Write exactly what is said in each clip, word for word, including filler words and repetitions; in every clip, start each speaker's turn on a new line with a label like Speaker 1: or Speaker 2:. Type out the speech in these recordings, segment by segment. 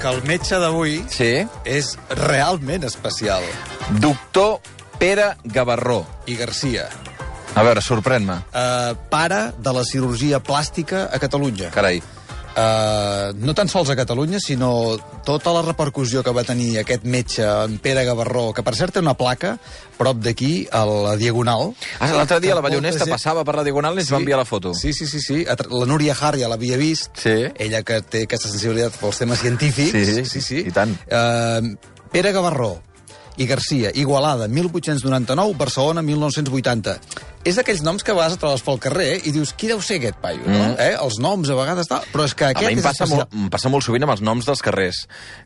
Speaker 1: que el metge d'avui
Speaker 2: Sí.
Speaker 1: és realment especial.
Speaker 2: Doctor Pere Gavarró.
Speaker 1: I Garcia,
Speaker 2: A veure, sorprèn-me.
Speaker 1: uh, pare de la cirurgia plàstica a Catalunya.
Speaker 2: Carai.
Speaker 1: Uh, no tan sols a Catalunya, sinó tota la repercussió que va tenir aquest metge, en Pere Gavarró, que per cert té una placa prop d'aquí, a la Diagonal.
Speaker 2: Ah, l'altre dia la
Speaker 1: Molta
Speaker 2: Ballonesta
Speaker 1: gent-
Speaker 2: passava per la Diagonal i ens va enviar la foto.
Speaker 1: Sí, sí, sí, sí. La Núria Har ja l'havia vist.
Speaker 2: Sí.
Speaker 1: Ella que té aquesta sensibilitat pels temes científics.
Speaker 2: Sí,
Speaker 1: sí, sí.
Speaker 2: i tant.
Speaker 1: Uh, Pere Gavarró i Garcia, Igualada, mil vuit-cents noranta-nou, Barcelona, mil nou-cents vuitanta. És d'aquells noms que a vegades et trobes pel carrer i dius, qui deu ser aquest paio, no?
Speaker 2: Mm.
Speaker 1: Eh? Els noms a vegades... Tal, però és que
Speaker 2: A
Speaker 1: aquest
Speaker 2: mi em
Speaker 1: és
Speaker 2: passa,
Speaker 1: especial.
Speaker 2: molt, em passa molt sovint amb els noms dels carrers,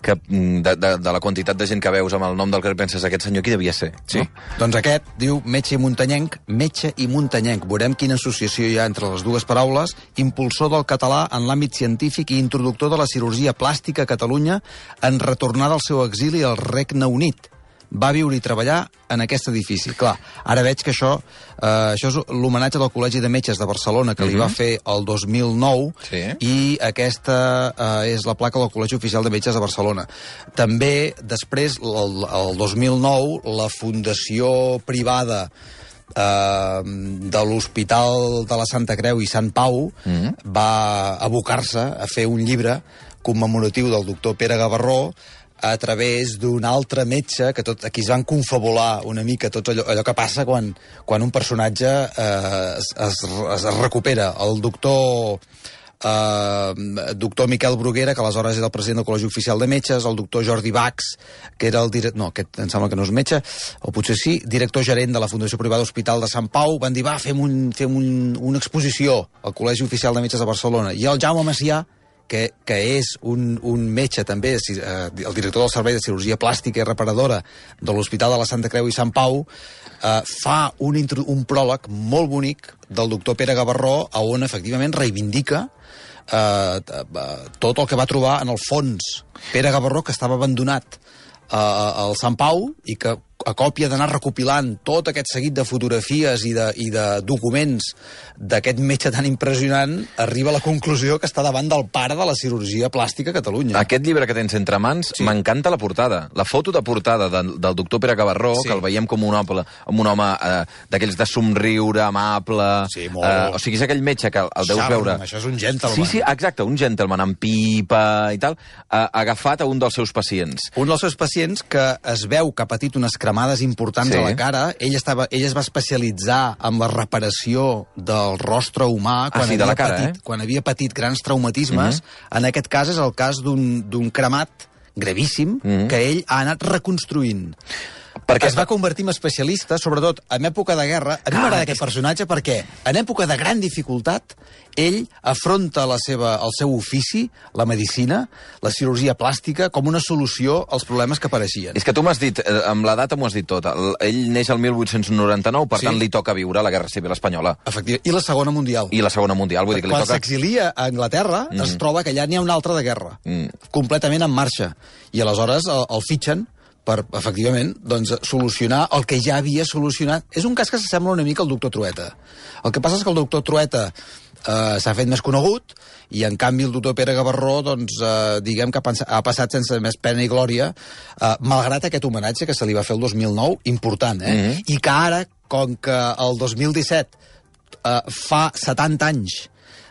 Speaker 2: que mm, de, de, de la quantitat de gent que veus amb el nom del carrer penses, aquest senyor qui devia ser?
Speaker 1: Sí.
Speaker 2: No?
Speaker 1: Doncs aquest diu metge i muntanyenc, metge i muntanyenc. Veurem quina associació hi ha entre les dues paraules. Impulsor del català en l'àmbit científic i introductor de la cirurgia plàstica a Catalunya en retornar del seu exili al Regne Unit. Va viure i treballar en aquest edifici. Clar, ara veig que això, eh, això és l'homenatge del Col·legi de Metges de Barcelona, que li va fer el dos mil nou,
Speaker 2: Sí.
Speaker 1: i aquesta eh, és la placa del Col·legi Oficial de Metges de Barcelona. També, després, el, el dos mil nou, la fundació privada eh, de l'Hospital de la Santa Creu i Sant Pau
Speaker 2: Mm.
Speaker 1: va abocar-se a fer un llibre commemoratiu del doctor Pere Gavarró a través d'un altre metge, que tot, aquí es van confabular una mica tot allò, allò que passa quan, quan un personatge eh, es, es, es recupera. El doctor... Uh, doctor Miquel Bruguera, que aleshores era el president del Col·legi Oficial de Metges, el doctor Jordi Bax, que era el director... No, aquest em sembla que no és metge, o potser sí, director gerent de la Fundació Privada Hospital de Sant Pau, van dir, va, fem, un, fem un, una exposició al Col·legi Oficial de Metges de Barcelona. I el Jaume Macià, que, que és un, un metge també, eh, el director del Servei de Cirurgia Plàstica i Reparadora de l'Hospital de la Santa Creu i Sant Pau, eh, fa un, un pròleg molt bonic del doctor Pere Gavarró, on efectivament reivindica eh, tot el que va trobar en el fons Pere Gavarró, que estava abandonat eh, al Sant Pau i que a còpia d'anar recopilant tot aquest seguit de fotografies i de, i de documents d'aquest metge tan impressionant, arriba a la conclusió que està davant del pare de la cirurgia plàstica a Catalunya.
Speaker 2: Aquest llibre que tens entre mans,
Speaker 1: Sí.
Speaker 2: m'encanta la portada. La foto de portada de, del doctor Pere Gavarró,
Speaker 1: Sí.
Speaker 2: que el veiem com un home, com un home eh, d'aquells de somriure, amable...
Speaker 1: Sí, molt.
Speaker 2: Eh, o sigui, és aquell metge que el, el deus
Speaker 1: Charme,
Speaker 2: veure...
Speaker 1: això és un gentleman.
Speaker 2: Sí, sí, exacte, un gentleman amb pipa i tal, eh, agafat a un dels seus pacients.
Speaker 1: Un dels seus pacients que es veu que ha patit unes cremades importants
Speaker 2: Sí.
Speaker 1: a la cara, ell, estava, ell es va especialitzar en la reparació del rostre humà quan,
Speaker 2: Ah, sí, de
Speaker 1: havia,
Speaker 2: la cara,
Speaker 1: patit,
Speaker 2: eh?
Speaker 1: quan havia patit grans traumatismes. En aquest cas és el cas d'un d'un cremat gravíssim
Speaker 2: Mhm.
Speaker 1: que ell ha anat reconstruint.
Speaker 2: Perquè
Speaker 1: Es va convertir en especialista, sobretot en època de guerra. A mi
Speaker 2: Ah,
Speaker 1: m'agrada
Speaker 2: és
Speaker 1: aquest personatge perquè en època de gran dificultat ell afronta la seva, el seu ofici, la medicina, la cirurgia plàstica, com una solució als problemes que apareixien.
Speaker 2: És que tu m'has dit, eh, amb la data m'ho has dit tot, el, ell neix el mil vuit-cents noranta-nou, per
Speaker 1: Sí.
Speaker 2: tant li toca viure la Guerra Civil Espanyola
Speaker 1: Efectivament. I la Segona Mundial.
Speaker 2: i la Segona Mundial, vull dir que li
Speaker 1: Quan
Speaker 2: toca...
Speaker 1: s'exilia a Anglaterra, mm. es troba que allà n'hi ha una altra de guerra,
Speaker 2: Mm.
Speaker 1: completament en marxa. I aleshores el, el fitxen per, efectivament, doncs, solucionar el que ja havia solucionat. És un cas que s'assembla una mica al doctor Trueta. El que passa és que el doctor Trueta eh, s'ha fet més conegut i, en canvi, el doctor Pere Gavarró, doncs, eh, diguem que ha, pensat, ha passat sense més pena i glòria, eh, malgrat aquest homenatge que se li va fer el dos mil nou, important, eh?
Speaker 2: Mm-hmm.
Speaker 1: I que ara, com que el dos mil disset eh, fa setanta anys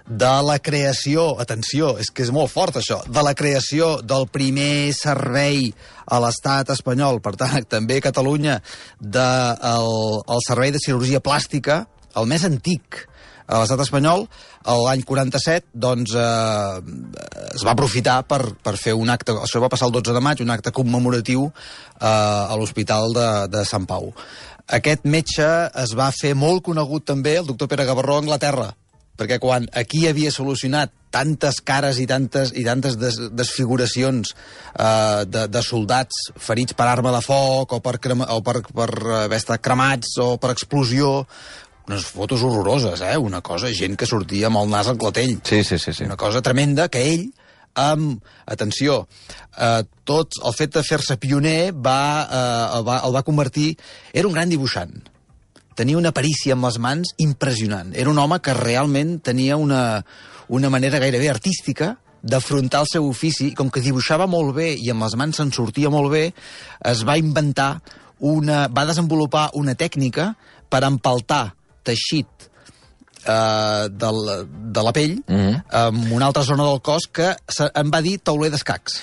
Speaker 1: de la creació, atenció, és que és molt fort això, de la creació del primer servei a l'estat espanyol, per tant, també a Catalunya, del de el servei de cirurgia plàstica, el més antic a l'estat espanyol, l'any quaranta-set, doncs, eh, es va aprofitar per, per fer un acte, això va passar el dotze de maig, un acte commemoratiu eh, a l'Hospital de, de Sant Pau. Aquest metge es va fer molt conegut també, el doctor Pere Gavarró, a Anglaterra, perquè quan aquí havia solucionat tantes cares i tantes, i tantes des, desfiguracions eh, de, de soldats ferits per arma de foc o per, crema, o per, per haver estat cremats o per explosió, unes fotos horroroses, eh? Una cosa, gent que sortia amb el nas al clatell.
Speaker 2: Sí, sí, sí, sí.
Speaker 1: Una cosa tremenda que ell, amb, atenció, eh, tot el fet de fer-se pioner va, eh, el, va, el va convertir... Era un gran dibuixant. Tenia una perícia amb les mans impressionant. Era un home que realment tenia una, una manera gairebé artística d'afrontar el seu ofici, com que dibuixava molt bé i amb les mans se'n sortia molt bé, es va inventar una... va desenvolupar una tècnica per empaltar teixit eh, de, la, de la pell mm-hmm. en una altra zona del cos que se, em va dir tauler d'escacs.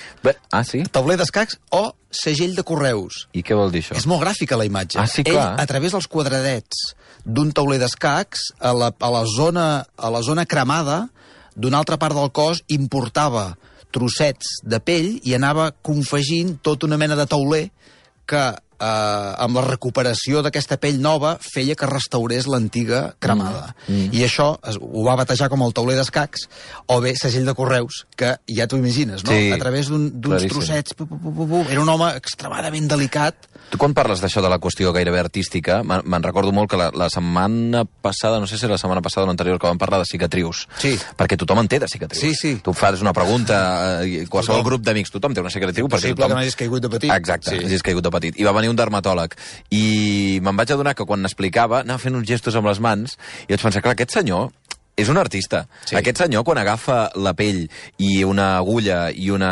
Speaker 2: Ah, sí?
Speaker 1: Tauler d'escacs o segell de correus.
Speaker 2: I què vol dir això?
Speaker 1: És molt gràfica la imatge.
Speaker 2: Ah, sí,
Speaker 1: Ell,
Speaker 2: clar.
Speaker 1: a través dels quadradets d'un tauler d'escacs, a la, a, la zona, a la zona cremada d'una altra part del cos, importava trossets de pell i anava confegint tota una mena de tauler que, eh, amb la recuperació d'aquesta pell nova, feia que restaurés l'antiga cremada. Mm. Mm. I això es, ho va batejar com el tauler d'escacs, o bé segell de correus, que ja t'ho imagines, no?
Speaker 2: Sí,
Speaker 1: a través d'uns un, trossets... Pu, pu, pu, pu, pu. Era un home extremadament delicat.
Speaker 2: Tu quan parles d'això de la qüestió gairebé artística, me'n recordo molt que la, la setmana passada, no sé si la setmana passada o l'anterior, que vam parlar de cicatrius.
Speaker 1: Sí.
Speaker 2: Perquè tothom en té de cicatrius.
Speaker 1: Sí, sí.
Speaker 2: Tu fas una pregunta, eh, qualsevol tothom. Grup d'amics, tothom té una cicatriu.
Speaker 1: Possible tothom... que n'hagis caigut de petit.
Speaker 2: Exacte,
Speaker 1: sí.
Speaker 2: hagis caigut de petit. I va venir un dermatòleg. I me'n vaig adonar que quan n'explicava, anava fent uns gestos amb les mans, i vaig pensar, clar, aquest senyor és un artista. Sí. Aquest senyor, quan agafa la pell i una agulla i una...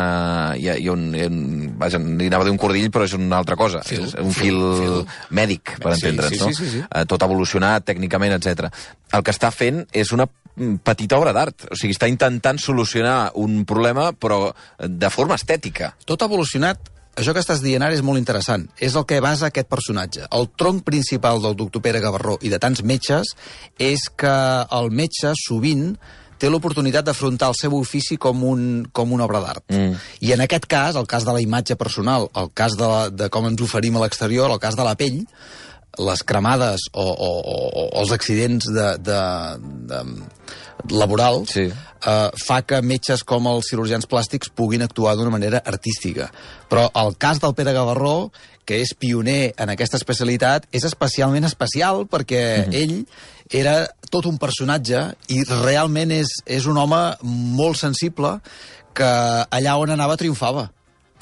Speaker 2: I, i un, i un, vaja, li anava a dir un cordill, però és una altra cosa.
Speaker 1: Fil,
Speaker 2: és un fil, fil, fil. mèdic, per
Speaker 1: sí,
Speaker 2: entendre'ns,
Speaker 1: sí,
Speaker 2: no?
Speaker 1: Sí, sí, sí.
Speaker 2: Eh, tot evolucionat tècnicament, etcètera. El que està fent és una petita obra d'art. O sigui, està intentant solucionar un problema, però de forma estètica.
Speaker 1: Tot evolucionat. Això que estàs dient ara és molt interessant. És el que basa aquest personatge. El tronc principal del doctor Pere Gavarró i de tants metges és que el metge sovint té l'oportunitat d'afrontar el seu ofici com, un, com una obra d'art. Mm. I en aquest cas, el cas de la imatge personal, el cas de, la, de com ens oferim a l'exterior, el cas de la pell, les cremades o, o, o, o els accidents de, de, de, laborals, sí. eh, fa que metges com els cirurgians plàstics puguin actuar d'una manera artística. Però el cas del Pere Gavarró, que és pioner en aquesta especialitat, és especialment especial perquè mm-hmm. ell era tot un personatge i realment és, és un home molt sensible que allà on anava triomfava.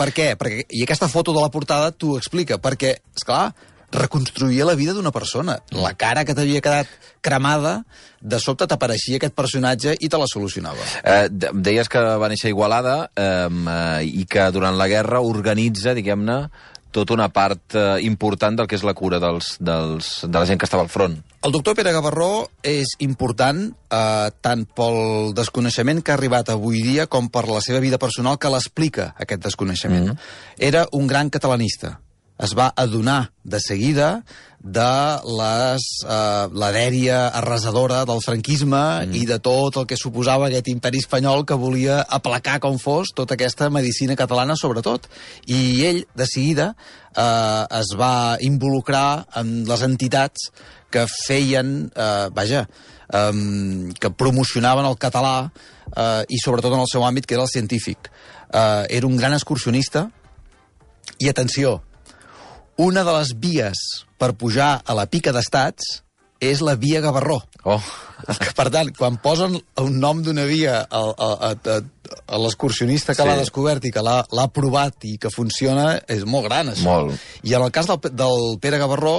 Speaker 1: Per què? Perquè, i aquesta foto de la portada t'ho explica, perquè, esclar, reconstruïa la vida d'una persona. La cara que t'havia quedat cremada, de sobte t'apareixia aquest personatge i te la solucionava.
Speaker 2: Eh, deies que va néixer a Igualada eh, i que durant la guerra organitza, diguem-ne, tota una part eh, important del que és la cura dels, dels, de la gent que estava al front.
Speaker 1: El doctor Pere Gavarró és important eh, tant pel desconeixement que ha arribat avui dia com per la seva vida personal que l'explica, aquest desconeixement. Mm-hmm. Era un gran catalanista. Es va adonar de seguida de les, eh, la dèria arrasadora del franquisme mm. i de tot el que suposava aquest imperi espanyol que volia aplacar com fos tota aquesta medicina catalana, sobretot. I ell, de seguida, eh, es va involucrar en les entitats que feien, eh, vaja, eh, que promocionaven el català eh, i sobretot en el seu àmbit, que era el científic. Eh, era un gran excursionista i, atenció, una de les vies per pujar a la pica d'estats és la via Gavarró.
Speaker 2: Oh.
Speaker 1: Per tant, quan posen un nom d'una via a, a, a, a l'excursionista que sí. l'ha descobert i que l'ha provat i que funciona, és molt gran, això.
Speaker 2: Molt.
Speaker 1: I en el cas del, del Pere Gavarró,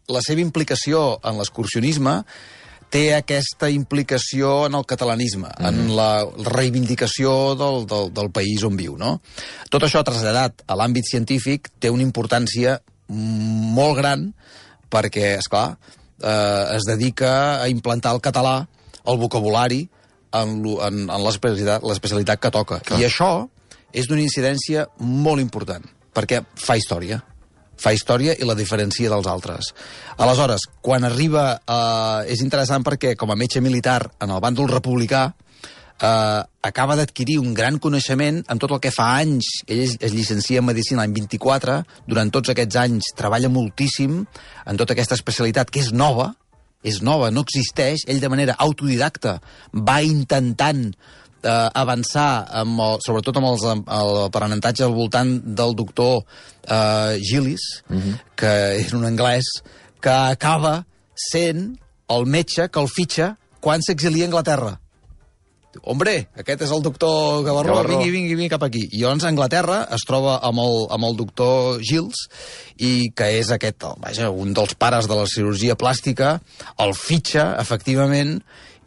Speaker 1: la seva implicació en l'excursionisme té aquesta implicació en el catalanisme, mm. en la reivindicació del, del, del país on viu, no? Tot això traslladat a l'àmbit científic té una importància molt gran perquè, esclar, eh, es dedica a implantar el català, el vocabulari, en, en, en l'especialitat que toca. Clar. I això és d'una incidència molt important, perquè fa història. Fa història i la diferencia dels altres. Aleshores, quan arriba... Eh, és interessant perquè, com a metge militar en el bàndol republicà, eh, acaba d'adquirir un gran coneixement en tot el que fa anys. Ell es, es llicencia en Medicina l'any vint-i-quatre, durant tots aquests anys treballa moltíssim en tota aquesta especialitat, que és nova, és nova, no existeix. Ell, de manera autodidacta, va intentant eh, avançar, amb el, sobretot amb els, l'aprenentatge al voltant del doctor eh, Gillis, mm-hmm. que és un anglès, que acaba sent el metge que el fitxa quan s'exilia a Anglaterra. Hombre, aquest és el doctor Gavarró, Gavarró. vingui, vingui, vingui cap aquí. I llavors a Anglaterra es troba amb el, amb el doctor Gilles, i que és aquest, vaja, un dels pares de la cirurgia plàstica, el fitxa, efectivament,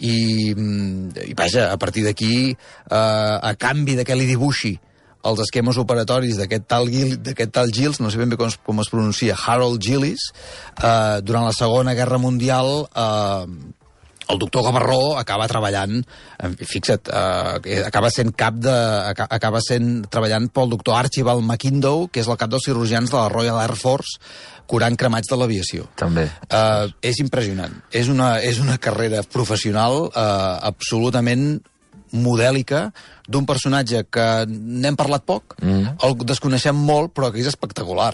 Speaker 1: i, i vaja, a partir d'aquí, eh, a canvi de que li dibuixi els esquemes operatoris d'aquest tal, d'aquest tal Giles, no sé ben bé com es, com es pronuncia, Harold Gillis, eh, durant la Segona Guerra Mundial, eh, el doctor Gavarró acaba treballant, fixa't, eh, acaba sent cap de, acaba sent treballant pel doctor Archibald McIndoe, que és el cap dels cirurgians de la Royal Air Force, curant cremats de l'aviació.
Speaker 2: També.
Speaker 1: Eh, és impressionant. És una, és una carrera professional eh, absolutament modèlica, d'un personatge que n'hem parlat poc, mm. el desconeixem molt, però que és espectacular.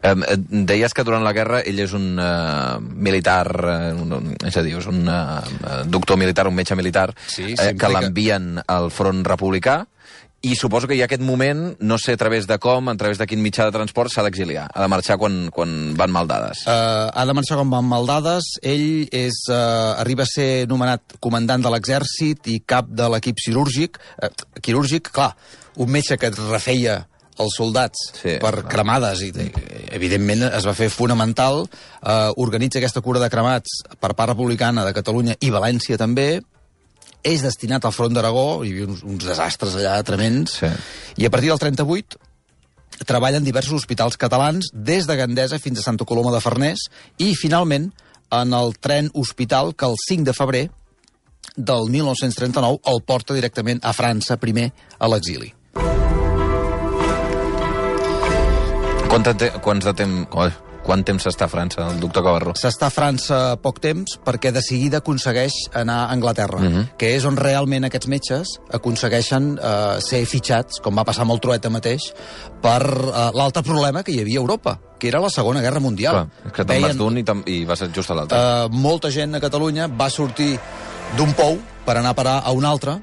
Speaker 2: Um, deies que durant la guerra ell és un uh, militar, uh, un, és a dir, és un uh, doctor militar, un metge militar, sí, eh, que l'envien al front republicà, i suposo que hi ha aquest moment, no sé a través de com, a través de quin mitjà de transport, s'ha d'exiliar, ha de marxar quan, quan van mal dades.
Speaker 1: Uh, ha de marxar quan van mal dades. Ell és, uh, arriba a ser nomenat comandant de l'exèrcit i cap de l'equip cirúrgic. Uh, quirúrgic, clar, un metge que refeia els soldats sí, per clar. cremades, i evidentment es va fer fonamental. Uh, organitza aquesta cura de cremats per part republicana de Catalunya i València també. És destinat al front d'Aragó, hi havia uns, uns desastres allà tremends, sí. I a partir del trenta-vuit treballa en diversos hospitals catalans, des de Gandesa fins a Santa Coloma de Farners, i finalment en el tren hospital que el cinc de febrer del mil nou-cents trenta-nou el porta directament a França, primer a l'exili.
Speaker 2: Quant de, quants de temps... Oh. Quant temps s'està a França, el doctor Gavarró?
Speaker 1: S'està a França poc temps perquè de seguida aconsegueix anar a Anglaterra, uh-huh. que és on realment aquests metges aconsegueixen uh, ser fitxats, com va passar amb el Trueta mateix, per uh, l'altre problema que hi havia a Europa, que era la Segona Guerra Mundial.
Speaker 2: Clar, que te'n vas d'un i, i vas just a l'altre.
Speaker 1: Uh, molta gent a Catalunya va sortir d'un pou per anar a parar a un altre,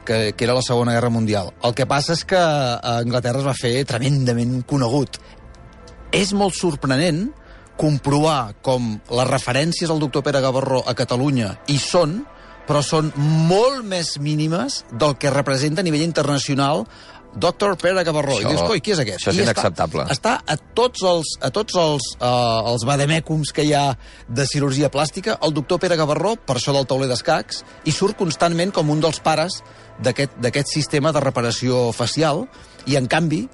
Speaker 1: que, que era la Segona Guerra Mundial. El que passa és que a Anglaterra es va fer tremendament conegut. És molt sorprenent comprovar com les referències al doctor Pere Gavarró a Catalunya hi són, però són molt més mínimes del que representa a nivell internacional doctor Pere Gavarró. Això, I dius, coi, qui és aquest?
Speaker 2: Això és I inacceptable.
Speaker 1: Està, està a tots els, a tots els, uh, els vademècums que hi ha de cirurgia plàstica, el doctor Pere Gavarró, per això del tauler d'escacs, i surt constantment com un dels pares d'aquest sistema de reparació facial, i en canvi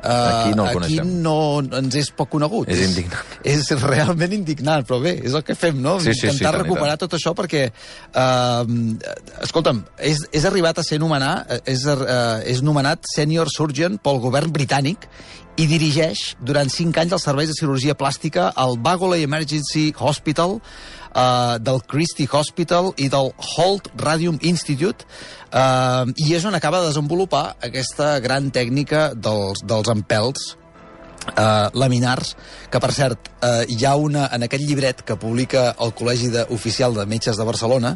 Speaker 1: Uh, aquí no, aquí no ens és poc conegut.
Speaker 2: És indignant.
Speaker 1: És, és realment indignant, però bé, és el que fem, no?
Speaker 2: Sí, sí,
Speaker 1: Intentar
Speaker 2: sí,
Speaker 1: recuperar tot això perquè, uh, escolta'm, és, és arribat a ser nomenat, és, uh, és nomenat Senior Surgeon pel govern britànic i dirigeix durant cinc anys els serveis de cirurgia plàstica al Bagley Emergency Hospital, Uh, del Christie Hospital i del Holt Radium Institute, uh, i és on acaba de desenvolupar aquesta gran tècnica dels, dels empelts uh, laminars, que per cert uh, hi ha una, en aquest llibret que publica el Col·legi de, Oficial de Metges de Barcelona,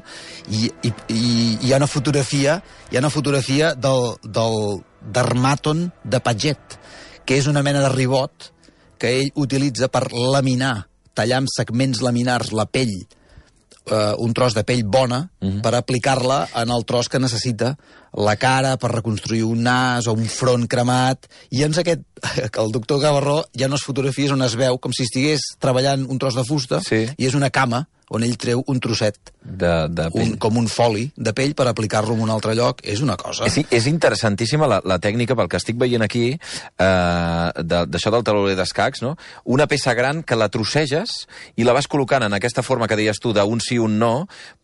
Speaker 1: i, i, i hi ha una fotografia hi ha una fotografia del, del dermàton de Paget, que és una mena de ribot que ell utilitza per laminar, tallar amb segments laminars la pell, uh, un tros de pell bona, uh-huh. per aplicar-la en el tros que necessita la cara per reconstruir un nas o un front cremat. I ens aquest, el doctor Gavarró, hi ha unes fotografies on es veu com si estigués treballant un tros de fusta, sí. I és una cama on ell treu un trosset,
Speaker 2: de, de pell.
Speaker 1: Un, com un foli de pell per aplicar-lo en un altre lloc. És una cosa.
Speaker 2: És, és interessantíssima la, la tècnica, pel que estic veient aquí, eh, d'això de, del tauler d'escacs, no? Una peça gran que la trosseges i la vas col·locant en aquesta forma que deies tu d'un sí, un no,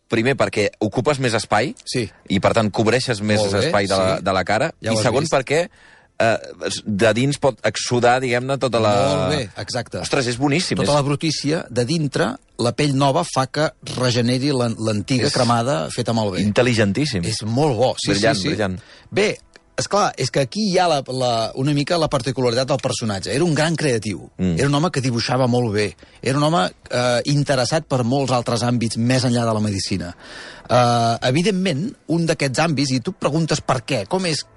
Speaker 2: primer perquè ocupes més espai,
Speaker 1: sí.
Speaker 2: I per tant cobreixes més bé, espai de la, sí. de la cara, ja i segon vist. Perquè Uh, de dins pot exudar, diguem-ne, tota la...
Speaker 1: Molt bé, exacte.
Speaker 2: Ostres, és boníssim.
Speaker 1: Tota
Speaker 2: és...
Speaker 1: la brutícia de dintre, la pell nova fa que regeneri l'antiga és... cremada feta malbé.
Speaker 2: Intel·ligentíssim.
Speaker 1: És molt bo, sí,
Speaker 2: brillant,
Speaker 1: sí, sí.
Speaker 2: Brillant.
Speaker 1: Bé, esclar, és que aquí hi ha la, la, una mica la particularitat del personatge. Era un gran creatiu. Mm. Era un home que dibuixava molt bé. Era un home eh, interessat per molts altres àmbits més enllà de la medicina. Eh, evidentment, un d'aquests àmbits, i tu preguntes per què, com és,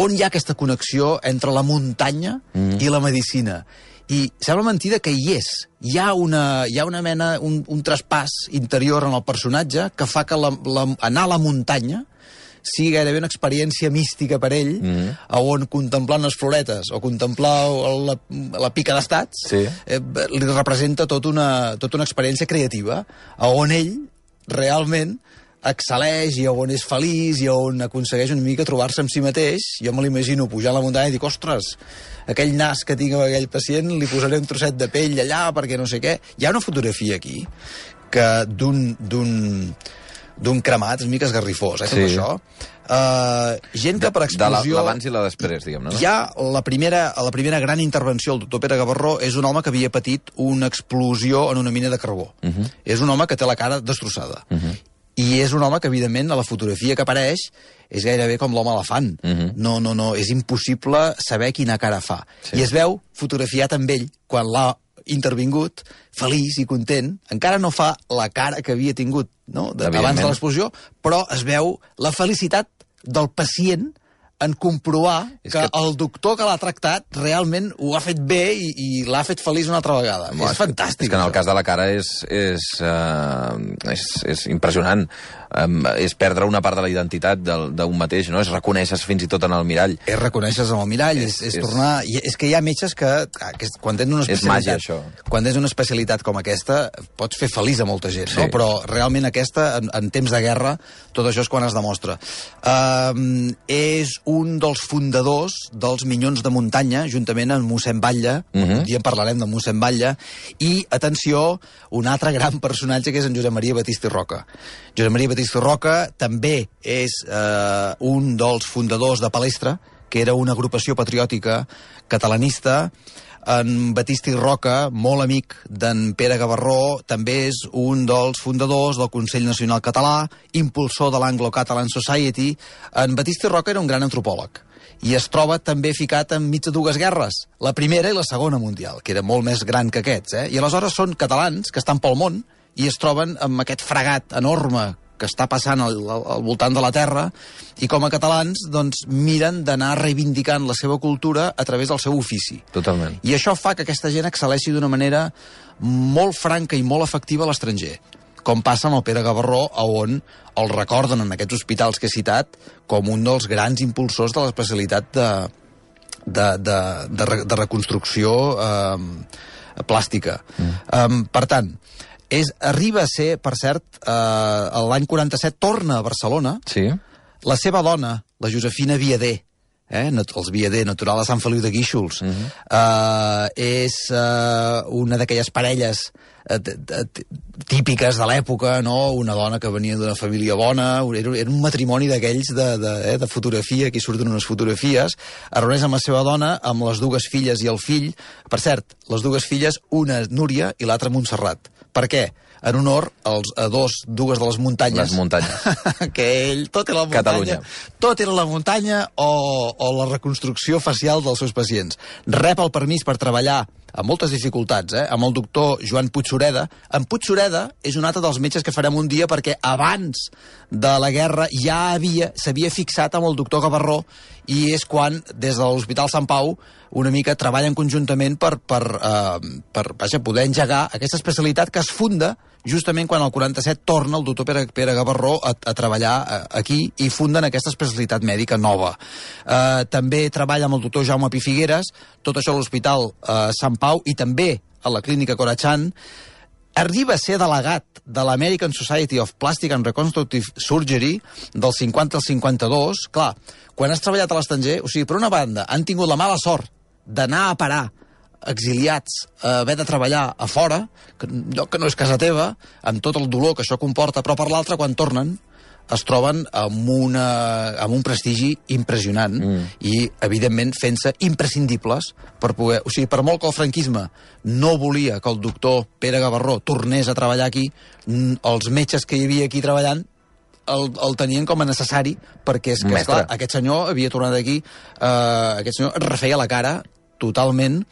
Speaker 1: on hi ha aquesta connexió entre la muntanya mm. i la medicina? I sembla mentida que hi és. Hi ha una, hi ha una mena, un, un traspàs interior en el personatge que fa que la, la, anar a la muntanya sigui gairebé una experiència mística per ell, mm. on contemplar unes floretes o contemplar la, la pica d'estats, sí. eh, li representa tot una, tota una experiència creativa, on ell realment excel·leix i on és feliç i on aconsegueix una mica trobar-se amb si mateix. Jo me l'imagino pujar a la muntanya i dic, ostres, aquell nas que tinc amb aquell pacient li posaré un trosset de pell allà perquè no sé què. Hi ha una fotografia aquí que d'un d'un d'un cremat, és mica esgarrifós, eh, tot
Speaker 2: Sí.
Speaker 1: això. Uh, gent que per explosió...
Speaker 2: De l'abans i la després, diguem-ne, no?
Speaker 1: Hi ha la primera, la primera gran intervenció del doctor Pere Gavarró és un home que havia patit una explosió en una mina de carbó. Uh -huh. És un home que té la cara destrossada. Uh -huh. I és un home que, evidentment, a la fotografia que apareix és gairebé com l'home elefant. Uh -huh. No, no, no, és impossible saber quina cara fa. Sí. I es veu fotografiat amb ell quan l'ha intervingut, feliç i content. Encara no fa la cara que havia tingut, no?, de, abans de l'explosió, però es veu la felicitat del pacient en comprovar que, que el doctor que l'ha tractat realment ho ha fet bé i, i l'ha fet feliç una altra vegada. No, és, és fantàstic.
Speaker 2: És que en el
Speaker 1: això.
Speaker 2: cas de la cara és, és, uh, és, és impressionant. Um, és perdre una part de la identitat d'un mateix, no? És reconèixer fins i tot en el mirall.
Speaker 1: És reconèixer-se en el mirall, és, és, és tornar... És que hi ha metges que, que quan tens una especialitat...
Speaker 2: És màgia, això.
Speaker 1: Quan tens una especialitat com aquesta, pots fer feliç a molta gent,
Speaker 2: sí.
Speaker 1: no? Però realment aquesta, en, en temps de guerra, tot això és quan es demostra. Uh, és un dels fundadors dels Minyons de Muntanya, juntament amb mossèn Batlle, uh -huh. un dia en parlarem de mossèn Batlle, i, atenció, un altre gran personatge que és en Josep Maria Batista i Roca. Josep Maria Batista i Roca també és eh, un dels fundadors de Palestra, que era una agrupació patriòtica catalanista. En Batista i Roca, molt amic d'en Pere Gavarró, també és un dels fundadors del Consell Nacional Català, impulsor de l'Anglo-Catalan Society. En Batista i Roca era un gran antropòleg i es troba també ficat enmig de dues guerres, la primera i la segona mundial, que era molt més gran que aquests, eh? I aleshores són catalans que estan pel món i es troben amb aquest fregat enorme que està passant al, al voltant de la Terra, i com a catalans doncs, miren d'anar reivindicant la seva cultura a través del seu ofici.
Speaker 2: Totalment.
Speaker 1: I això fa que aquesta gent excel·leixi d'una manera molt franca i molt efectiva a l'estranger, com passa amb el Pere Gavarró, on el recorden en aquests hospitals que he citat com un dels grans impulsors de l'especialitat de, de, de, de, de reconstrucció eh, plàstica. Mm. Um, per tant, és, arriba a ser, per cert, eh, l'any quaranta-set torna a Barcelona.
Speaker 2: Sí.
Speaker 1: La seva dona, la Josefina Viader, eh, els Viader, natural de Sant Feliu de Guíxols, uh -huh. eh, és eh, una d'aquelles parelles eh, típiques de l'època, no? Una dona que venia d'una família bona, era, era un matrimoni d'aquells de, de, eh, de fotografia, aquí surten unes fotografies, es reuneix amb la seva dona, amb les dues filles i el fill. Per cert, les dues filles, una Núria i l'altra Montserrat. Per què? En honor als, a dos, dues de les muntanyes.
Speaker 2: Les muntanyes.
Speaker 1: Que ell, tot era la muntanya.
Speaker 2: Catalunya.
Speaker 1: Tot era la muntanya o, o la reconstrucció facial dels seus pacients. Rep el permís per treballar amb moltes dificultats, eh? Amb el doctor Joan Puigsureda. En Puigsureda és un altre dels metges que farem un dia perquè abans de la guerra ja havia s'havia fixat amb el doctor Gavarró i és quan, des de l'Hospital Sant Pau, una mica treballen conjuntament per, per, eh, per vaja, poder engegar aquesta especialitat que es funda justament quan el quaranta-set torna el doctor Pere, Pere Gavarró a, a treballar aquí i funden aquesta especialitat mèdica nova. Eh, també treballa amb el doctor Jaume Pi Figueres, tot això a l'Hospital eh, Sant Pau i també a la clínica Corachan. Arriba a ser delegat de l'American Society of Plastic and Reconstructive Surgery del cinquanta al cinquanta-dos. Clar, quan has treballat a l'estranger, o sigui, per una banda, han tingut la mala sort d'anar a parar exiliats a haver de treballar a fora, que, lloc que no és casa teva, amb tot el dolor que això comporta, però per l'altra, quan tornen, es troben amb, una, amb un prestigi impressionant mm. i, evidentment, fent-se imprescindibles per poder... O sigui, per molt que el franquisme no volia que el doctor Pere Gavarró tornés a treballar aquí, els metges que hi havia aquí treballant el, el tenien com a necessari perquè, és que, esclar, aquest senyor havia tornat aquí, eh, aquest senyor refeia la cara totalment.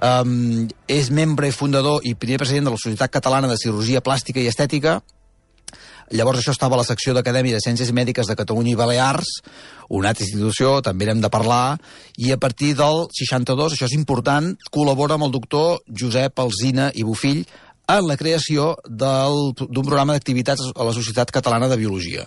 Speaker 1: Um, és membre i fundador i primer president de la Societat Catalana de Cirurgia Plàstica i Estètica. Llavors això estava a la secció d'Acadèmia de Ciències Mèdiques de Catalunya i Balears, una altra institució, també n'hem de parlar, i a partir del seixanta-dos, això és important, col·labora amb el doctor Josep Alsina i Bofill en la creació d'un programa d'activitats a la Societat Catalana de Biologia.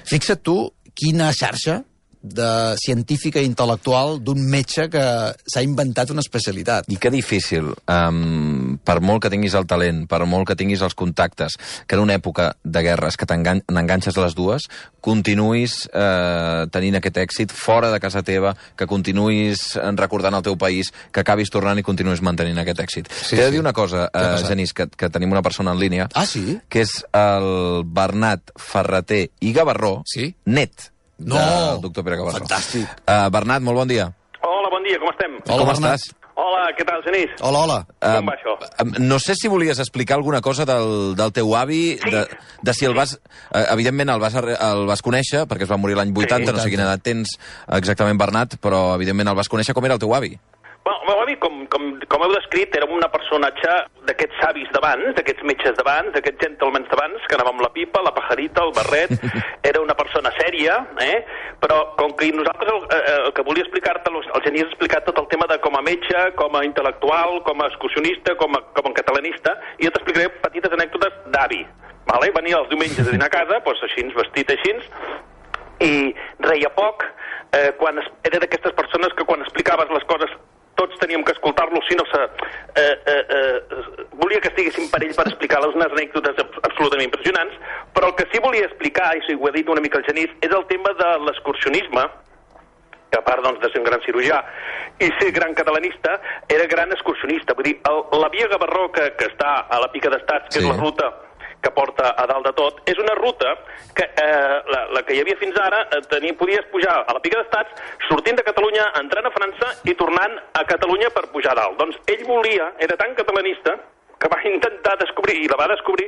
Speaker 1: Fixa't tu quina xarxa de científica i intel·lectual d'un metge que s'ha inventat una especialitat.
Speaker 2: I que difícil um, per molt que tinguis el talent, per molt que tinguis els contactes, que en una època de guerres que t'enganxes les dues, continuïs eh, tenint aquest èxit fora de casa teva, que continuïs recordant el teu país, que acabis tornant i continuïs mantenint aquest èxit.
Speaker 1: Sí,
Speaker 2: T'he de
Speaker 1: sí.
Speaker 2: dir una cosa, eh, Genís, que, que tenim una persona en línia,
Speaker 1: Ah, sí?
Speaker 2: que és el Bernat Ferreter i Gavarró,
Speaker 1: Sí?
Speaker 2: net
Speaker 1: No!
Speaker 2: del doctor Pere Gavarró.
Speaker 1: Fantàstic.
Speaker 2: Uh, Bernat, molt bon dia.
Speaker 3: Hola, bon dia, com estem?
Speaker 1: Hola,
Speaker 2: Com
Speaker 1: Bernat.
Speaker 2: estàs?
Speaker 3: Hola, què tal, Genís?
Speaker 1: Hola, hola.
Speaker 3: Com va això?
Speaker 2: Um, no sé si volies explicar alguna cosa del, del teu avi,
Speaker 3: Sí.
Speaker 2: de, de si el vas... Uh, evidentment el vas, arre- el vas conèixer, perquè es va morir l'any vuitanta, no sé quina edat tens exactament, Bernat, però evidentment el vas conèixer. Com era el teu avi?
Speaker 3: Bueno, el meu avi, com, com, com heu descrit, era un personatge d'aquests savis d'abans, d'aquests metges d'abans, d'aquests gentlemans d'abans, que anava amb la pipa, la pajarita, el barret, era una persona sèria, eh? Però com que nosaltres el, eh, el que volia explicar-te, el Genís ha explicat tot el tema de com a metge, com a intel·lectual, com a excursionista, com a, com a catalanista, i jo t'explicaré petites anècdotes d'avi. Vale? Venia els diumenges a dinar a casa, doncs així, vestit així, i reia poc, eh, quan es, era d'aquestes persones que quan explicaves les coses tots teníem que escoltar-lo, si no se... Eh, eh, eh, volia que estiguéssim per ell per explicar-los unes anècdotes absolutament impressionants, però el que sí volia explicar, i ho ha dit una mica el Genís, és el tema de l'excursionisme, que a part doncs, de ser un gran cirurgià i ser gran catalanista, era gran excursionista. Vull dir, el, la via Gavarró, que, que està a la Pica d'Estats, que
Speaker 2: Sí.
Speaker 3: és la ruta que porta a dalt de tot, és una ruta que eh, la, la que hi havia fins ara, eh, tenia, podies pujar a la Pica d'Estats, sortint de Catalunya, entrant a França i tornant a Catalunya per pujar a dalt. Doncs ell volia, era tan catalanista, que va intentar descobrir, i la va descobrir,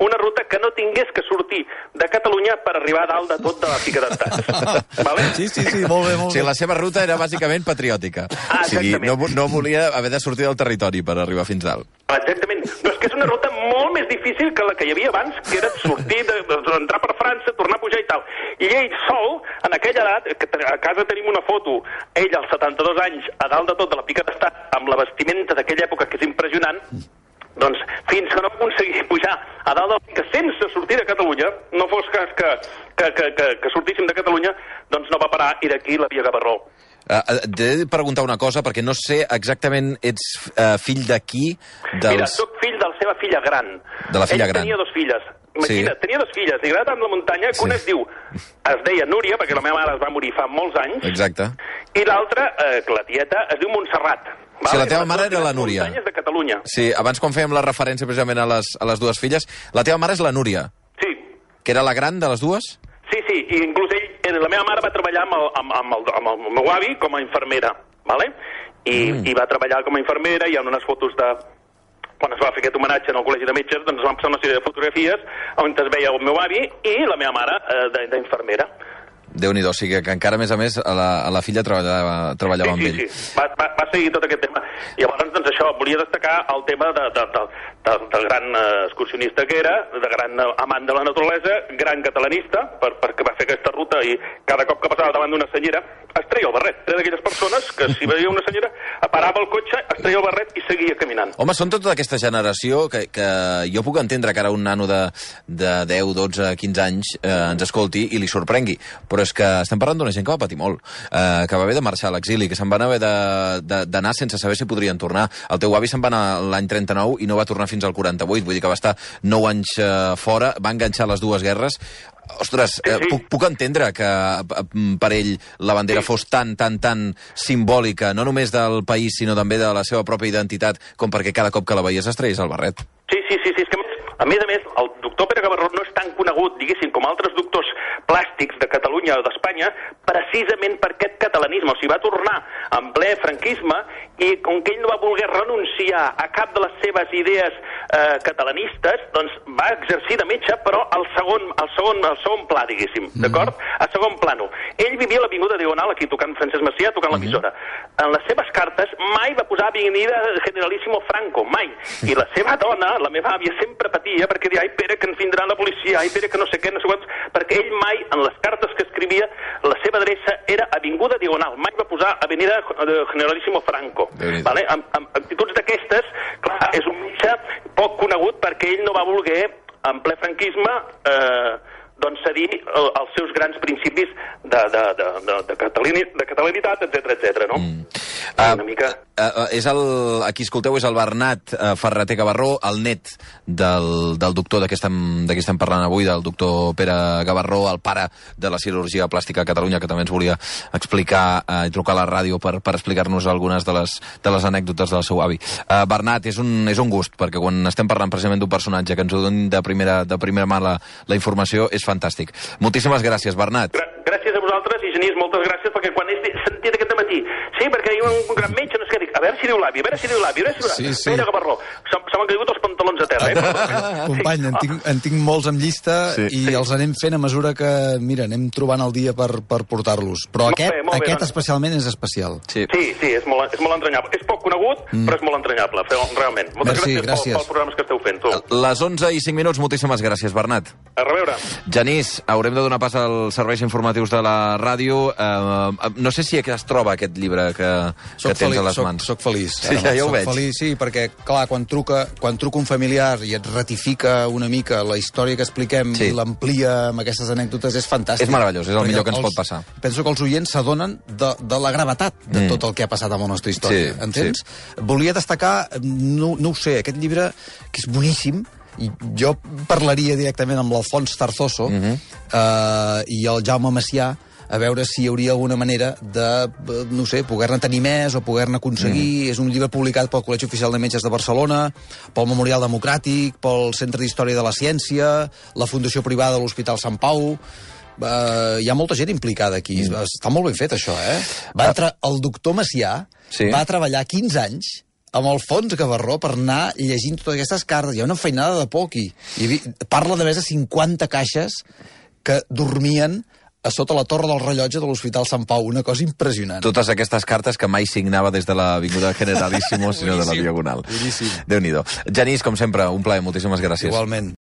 Speaker 3: una ruta que no tingués que sortir de Catalunya per arribar a dalt de tot de la Pica d'Estats. Vale?
Speaker 1: Sí, sí, sí, molt bé,
Speaker 2: O
Speaker 1: molt
Speaker 2: sigui,
Speaker 1: bé.
Speaker 2: la seva ruta era bàsicament patriòtica.
Speaker 3: Ah,
Speaker 2: o sigui,
Speaker 3: exactament.
Speaker 2: no, vo- no volia haver de sortir del territori per arribar fins dalt.
Speaker 3: Exactament. No, és que és una ruta molt més difícil que la que hi havia abans, que era sortir, de, de, entrar per França, tornar a pujar i tal. I ell sol, en aquella edat, que te- a casa tenim una foto, ell als setanta-dos anys, a dalt de tot de la Pica d'Estat, amb la vestimenta d'aquella època, que és impressionant, doncs fins que no va aconseguir pujar a dalt del Pica sense sortir de Catalunya, no fos cas que, que, que, que, que sortíssim de Catalunya, doncs no va parar, i d'aquí la via Gavarró.
Speaker 2: Uh, T'he de preguntar una cosa, perquè no sé exactament, ets uh, fill de qui? Dels...
Speaker 3: Mira, soc fill de la seva filla gran.
Speaker 2: De la filla
Speaker 3: Ell
Speaker 2: gran.
Speaker 3: tenia dos filles. Imagina,
Speaker 2: Sí.
Speaker 3: tenia dos filles, li agrada tant la muntanya, que
Speaker 2: Sí.
Speaker 3: una es diu, es deia Núria, perquè la meva mare es va morir fa molts anys,
Speaker 2: Exacte.
Speaker 3: i l'altra, eh, que la tieta, es diu Montserrat.
Speaker 2: Sí, la teva
Speaker 3: Les
Speaker 2: mare
Speaker 3: dues
Speaker 2: era la
Speaker 3: grans
Speaker 2: Núria.
Speaker 3: muntanyes de Catalunya.
Speaker 2: Sí, abans quan fèiem la referència precisament a les, a les dues filles, la teva mare és la Núria,
Speaker 3: Sí,
Speaker 2: que era la gran de les dues?
Speaker 3: sí, sí, i inclús ell, eh, la meva mare va treballar amb el, amb, amb el, amb el meu avi com a infermera, vale? I, mm. i va treballar com a infermera, hi ha unes fotos de... Quan es va fer aquest homenatge en el Col·legi de Metges, doncs es van passar una sèrie de fotografies on es veia el meu avi i la meva mare eh, de- d'infermera.
Speaker 2: Déu-n'hi-do, o sigui que encara, a més a més, a la, a la filla treballava, treballava
Speaker 3: sí,
Speaker 2: amb
Speaker 3: sí,
Speaker 2: ell.
Speaker 3: sí, va, va, va seguir tot aquest tema. I llavors, doncs això, volia destacar el tema de, de, de, de, del gran eh, excursionista que era, de gran eh, amant de la naturalesa, gran catalanista, per, perquè va fer aquesta ruta i cada cop que passava davant d'una senyera es treia el barret. Era d'aquelles persones que si veia una senyera parava el cotxe, es treia el barret i seguia caminant.
Speaker 2: Home, són tota aquesta generació que, que jo puc entendre que ara un nano de, de deu, dotze, quinze anys eh, ens escolti i li sorprengui, però és que estem parlant d'una gent que va patir molt, eh, que va haver de marxar a l'exili, que se'n van haver d'anar sense saber si podrien tornar. El teu avi se'n va anar l'any trenta-nou i no va tornar fins al quaranta-vuit, vull dir que va estar nou anys eh, fora, va enganxar les dues guerres. Ostres, eh,
Speaker 3: Sí, sí.
Speaker 2: puc, puc entendre que eh, per ell la bandera
Speaker 3: Sí.
Speaker 2: fos tan, tan, tan simbòlica, no només del país, sinó també de la seva pròpia identitat, com perquè cada cop que la veies es treies el barret.
Speaker 3: Sí, sí, sí, sí, és que a més a més, el doctor Pere Gavarró no és tan conegut, diguéssim, com altres doctors plàstics de Catalunya o d'Espanya, precisament per aquest catalanisme. O sigui, va tornar en ple franquisme i com que ell no va voler renunciar a cap de les seves idees eh, catalanistes, doncs va exercir de metge, però al segon, al segon, al segon pla, diguéssim, d'acord? A segon plano. Ell vivia a l'Avinguda Diagonal, aquí tocant Francesc Macià, tocant l'emissora. En les seves cartes mai va posar Avenida Generalísimo Franco, mai. I la seva dona, la meva àvia, sempre patia perquè deia, ai, Pere, que ens vindrà la policia, ai, Pere, que no sé què, no sé quants, perquè ell mai, en les cartes que escrivia, la seva adreça era Avinguda Diagonal, mai va posar Avenida Generalísimo Franco. Vale? Amb, amb actituds d'aquestes, clar, és un metge poc conegut perquè ell no va voler, en ple franquisme, eh, doncs cedir eh, els seus grans principis de, de, de, de, de, catalani, de catalanitat, etcètera, etcètera, no? Mm. Uh, una mica...
Speaker 2: Uh, uh, és el, aquí escolteu, és el Bernat uh, Ferreter Gavarró, el net del, del doctor de què estem, de què estem parlant avui, del doctor Pere Gavarró, el pare de la cirurgia plàstica a Catalunya, que també ens volia explicar uh, i trucar a la ràdio per, per explicar-nos algunes de les, de les anècdotes del seu avi. Uh, Bernat, és un, és un gust, perquè quan estem parlant precisament d'un personatge que ens ho doni de primera, de primera mà la, la informació, és fantàstic. Moltíssimes gràcies, Bernat.
Speaker 3: Gra gràcies a vosaltres, i Genís, moltes gràcies, perquè quan he sentit aquest matí, sí, perquè hi ha un gran metge, no sé què, dic, a veure si diu l'avi, a veure si diu l'avi, a veure si diu l'avi. Sí, sí. Pere Gavarró, se, se m'han caigut els pantalons a terra, eh?
Speaker 1: Company, en tinc, en tinc molts en llista sí. i sí. els anem fent a mesura que, mira, anem trobant el dia per, per portar-los. Però molt aquest, bé, molt aquest bé, doncs. especialment és especial.
Speaker 3: Sí, sí, sí és, molt, és molt entranyable. És poc conegut, mm. però és molt entranyable, realment. Moltes
Speaker 1: Merci,
Speaker 3: gràcies, gràcies. Pels, pels programes que esteu fent, tu.
Speaker 2: Les onze i cinc minuts, moltíssimes gràcies, Bernat.
Speaker 3: A reveure.
Speaker 2: Genís, haurem de donar pas als serveis informatius de la ràdio. Uh, no sé si es troba aquest llibre que, que tens
Speaker 1: feliç,
Speaker 2: a les
Speaker 1: soc,
Speaker 2: mans.
Speaker 1: Soc feliç.
Speaker 2: Sí, ja, ja ho
Speaker 1: soc
Speaker 2: veig.
Speaker 1: Feliç, sí, perquè, clar, quan truca, quan truca un familiar i et ratifica una mica la història que expliquem sí. i l'amplia amb aquestes anècdotes, és fantàstic.
Speaker 2: És meravellós, és el
Speaker 1: perquè
Speaker 2: millor que ens
Speaker 1: els,
Speaker 2: pot passar.
Speaker 1: Penso que els oients s'adonen de, de la gravetat de mm. tot el que ha passat amb la nostra història. Sí, entens? Sí. Volia destacar, no, no ho sé, aquest llibre, que és boníssim, i jo parlaria directament amb l'Alfons Tarzoso uh -huh. eh, i el Jaume Macià a veure si hi hauria alguna manera de, no sé, poder-ne tenir més o poder-ne aconseguir. Mm. És un llibre publicat pel Col·legi Oficial de Metges de Barcelona, pel Memorial Democràtic, pel Centre d'Història de la Ciència, la Fundació Privada de l'Hospital Sant Pau. Uh, hi ha molta gent implicada aquí. Mm. Està molt ben fet, això, eh? Va entrar, el doctor Macià sí. va treballar quinze anys amb el Fons Gavarró per anar llegint totes aquestes cartes. Hi ha una feinada de por aquí. Hi havia, parla de més de cinquanta caixes que dormien a sota la torre del rellotge de l'Hospital Sant Pau. Una cosa impressionant.
Speaker 2: Totes aquestes cartes que mai signava des de l'Avinguda Generalíssimo, sinó de la Diagonal.
Speaker 1: Boníssim.
Speaker 2: Déu-n'hi-do. Genís, com sempre, un plaer. Moltíssimes gràcies.
Speaker 1: Igualment.